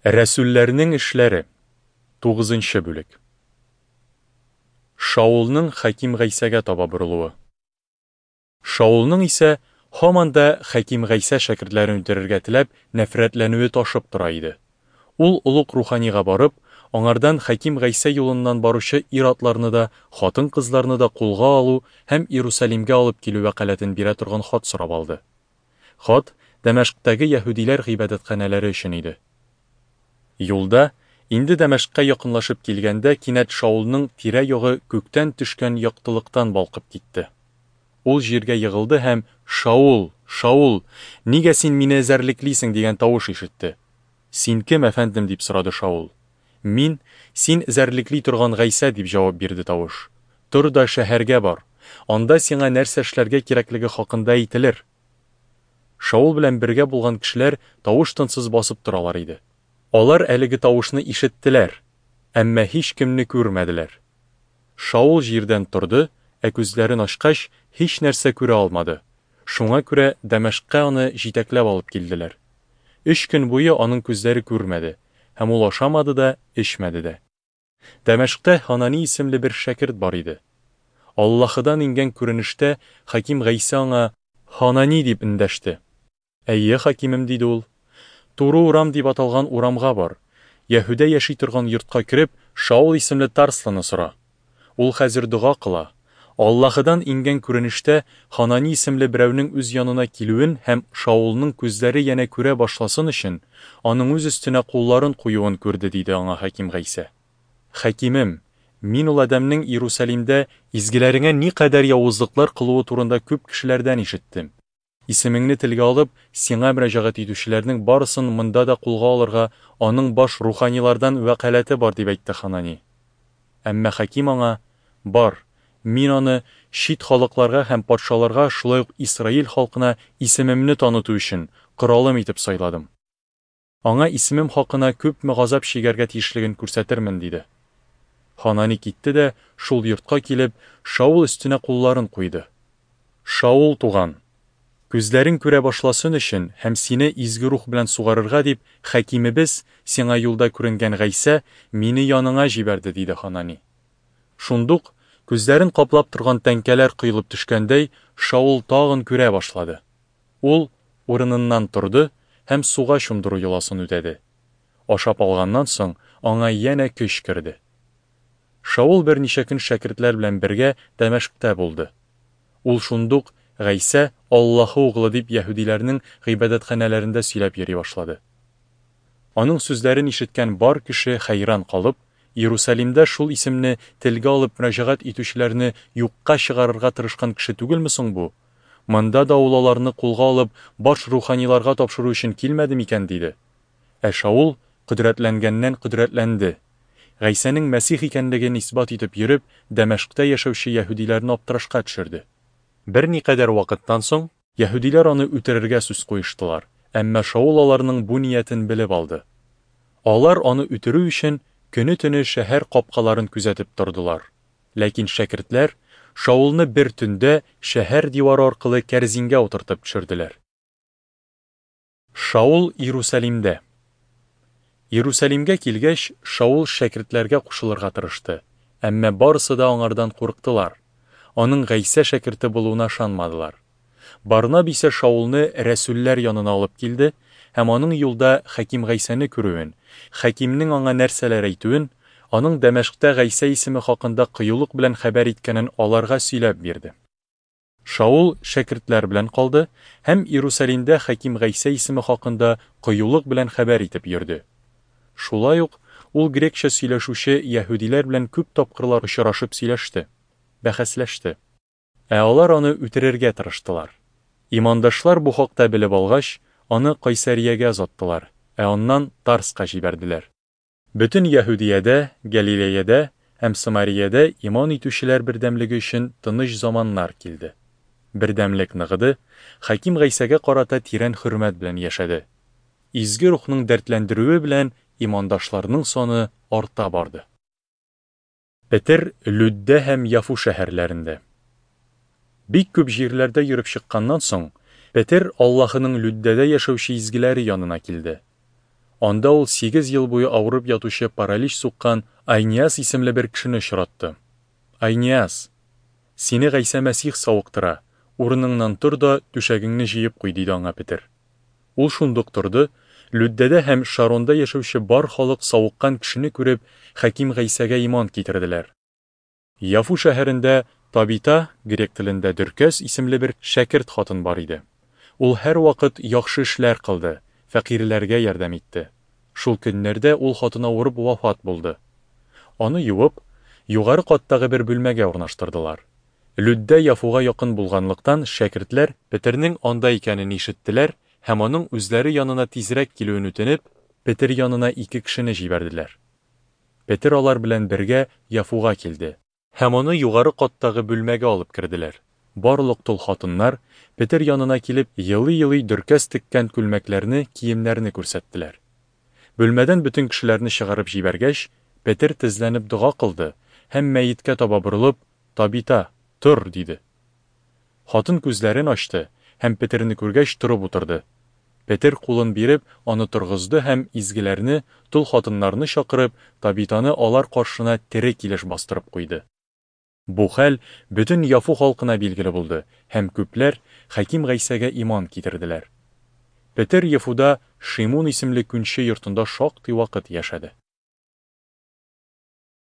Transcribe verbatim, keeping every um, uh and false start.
Рәсүлләрнең эшләре. Тугызынчы бүлек. Шаулның Хәким Гайсәгә таба борылуы. Шаулның исә һаман да Хәким Гайсә шәкертләрен үтерергә теләп, нәфрәтләнүе ташып тора иде. Ул олуг руханига барып, аңардан Хәким Гайсә юлыннан баручы ир-атларны да, хатын-кызларны да кулга алу һәм Иерусалимгә алып килү вәкаләтен бирә торган хат сорап алды. Хат Дәмәшктәге яһүдиләр гыйбадәтханәләре өчен иде. Юлда, инде Дәмәшккә якынлашып килгәндә, кинәт Шаулның тирә-ягы күктән төшкән яктылыктан балкып китте. Ул җиргә егылды һәм «Шаул, Шаул, нигә син мине эзәрлеклисең?» дигән тавыш ишетте. «Син кем, әфәндем?» дип сорады Шаул. «Мин, син эзәрлекли торган Гайсә», дип җавап бирде тавыш. «Тор да шәһәргә бар. Анда сиңа нәрсә эшләргә кирәклеге хакында әйтелер». Шаул белән бергә булган кешеләр тавыш-тынсыз басып торалар иде. Алар әлеге тавышны ишеттеләр, әмма һичкемне күрмәделәр. Шаул җирдән торды, ә күзләрен ачкач, һич нәрсә күрә алмады. Шуңа күрә Дәмәшккә аны җитәкләп алып килделәр. Өч көн буе аның күзләре күрмәде, һәм ул ашамады да, эчмәде дә. Дәмәшктә Ханани исемле бер шәкерт бар иде. Аллаһыдан иңгән күренештә Хаким Гайсә аңа «Ханани» дип эндәште. «Әйе, хакимем», диде ул. «Туры урам дип аталган урамга бар. Яһүдә яши торган йортка кереп, Шаул исемле Тарслыны сора. Ул хәзер дога кыла. Аллаһыдан иңгән күренештә Ханани исемле берәүнең үз янына килүен һәм Шаулның күзләре янә күрә башласын өчен, аның үз өстенә кулларын куюын күрде», диде аңа Хаким Гайсә. «Хакимем, мин ул адәмнең Иерусалимдә изгеләреңә никадәр явызлыклар кылуы турында күп кешеләрдән ишеттем. Исемеңне телгә алып, сиңа мөрәҗәгать итүчеләрнең барысын монда да кулга алырга аның баш руханилардан вәкаләте бар», дип әйтте Ханани. Әмма Хаким аңа: «Бар, мин аны чит халыкларга һәм патшаларга, шулай ук Исраил халкына исемемне таныту өчен коралым итеп сайладым. Аңа исемем хакына күпме газап чигәргә тиешлеген күрсәтермен», диде. Ханани китте дә шул йортка килеп, Шаул өстенә кулларын куйды. «Шаул туган, күзләрең күрә башласын өчен һәм сине изге рух белән сугарырга дип, хакимебез, сиңа юлда күренгән Гайсә, мине яныңа җибәрде», диде Ханани. Шундук, күзләрен каплап торган тәңкәләр коелып төшкәндәй, Шаул тагын күрә башлады. Ул урыныннан торды һәм суга чумдыру йоласын үтәде. Ашап алганнан соң аңа янә көч керде. Шаул берничә көн шәкертләр белән бергә Дәмәшктә булды. Ул шундук Гайсә Аллаһы углы дип яһүдиләрнең гыйбадәтханәләрендә сөйләп йөри башлады. Аның сүзләрен ишеткән бар кеше хәйран калып, Иерусалимдә шул исемне телгә алып мөрәҗәгать итүчеләрне юкка чыгарырга тырышкан кеше түгелме соң бу? Монда да ул аларны кулга алып, баш руханиларга тапшыру өчен килмәде микән, диде. Ә Шаул кодрәтләнгәннән кодрәтләнде. Гайсәнең Мәсих икәнлеген исбат итеп йөреп, Дәмәшктә яшәүче яһүдиләрне аптырашка төшерде. Берникадәр вакыттан соң яһүдиләр аны үтерергә сүз куештылар, әмма Шаул аларның бу ниятен белеп алды. Алар аны үтерү өчен көне-төне шәһәр капкаларын күзәтеп тордылар. Ләкин шәкертләр Шаулны бер төндә шәһәр дивары аркылы кәрзингә утыртып төшерделәр. Шаул Иерусалимдә. Иерусалимгә килгәч, Шаул шәкертләргә кушылырга тырышты, әмма барысы да аңардан курыктылар. Аның Гайсә шәкерте булуына ышанмадылар. Барнаб исә Шаулны рәсүлләр янына алып килде һәм аның юлда Хаким Гайсәне күрүен, Хакимнең аңа нәрсәләр әйтүен, аның Дәмәшктә Гайсә исеме хакында кыюлык белән хәбәр иткәнен аларга сөйләп бирде. Шаул шәкертләр белән калды һәм Иерусалимдә Хаким Гайсә исеме хакында кыюлык белән хәбәр итеп йөрде. Шулай ук ул грекча сөйләшүче яһүдиләр белән күп тапкырлар очрашып сөйләште, бәхәсләште. Ә алар аны үтерергә тырыштылар. Имандашлар бу хакта белеп алгач, аны Кайсариягә озаттылар, ә аннан Тарска җибәрделәр. Бөтен Яһүдиядә, Галилеядә һәм Самариядә иман итүчеләр бердәмлеге өчен тыныч заманнар килде. Бердәмлек ныгыды, Хаким Гайсәгә карата тирән хөрмәт белән яшәде. Изге рухның дәртләндерүе белән имандашларның саны арта барды. Петер Лүддә һәм Яфу шәһәрләрендә. Бик күп җирләрдә йөреп чыкканнан соң, Петер Аллаһының Лүддәдә яшәүче изгеләре янына килде. Анда ул сигез ел буе авырып ятучы паралич суккан Айниас исемле бер кешене очратты. Айниас, сине Гайсә Мәсих савыктыра, урыныңнан тор да түшәгеңне җыеп куй, диде аңа Петер. Ул шундук торды. Лүддәдә һәм Шаронда яшәүче бар халык савыккан кешене күреп, Хәким Гайсәгә иман китерделәр. Яфу шәһәрендә Табита, грек телендә Дөркәс исемле бер шәкерт хатын бар иде. Ул һәрвакыт яхшы эшләр кылды, фәкыйрьләргә ярдәм итте. Шул көннәрдә ул хатын авырып вафат булды. Аны юып, югары каттагы бер бүлмәгә урнаштырдылар. Лүддә Яфуга якын булганлыктан, шәкертләр Петернең анда икәнен ишеттеләр һәм аның үзләре янына тизрәк килүен үтенеп, Петер янына ике кешене җибәрделәр. Петер алар белән бергә Яфуга килде, һәм аны югары каттагы бүлмәгә алып керделәр. Барлык тол хатыннар, Петер янына килеп, елый-елый Дөркәс теккән күлмәкләрне, киемнәрне күрсәттеләр. Бүлмәдән бөтен кешеләрне чыгарып җибәргәч, Петер тезләнеп дога кылды һәм мәеткә таба борылып, Табита, тор, диде. Хатын күзләрен ачты һәм Петерне күргәч торып утырды. Петер кулын биреп, аны торгызды һәм изгеләрне, тол хатыннарны чакырып, Табитаны алар каршына тере килеш бастырып куйды. Бу хәл бөтен Яфу халкына билгеле булды, һәм күпләр Хәким Гайсәгә иман китерделәр. Петер Яфуда Шимун исемле күнче йортында шактый вакыт яшәде.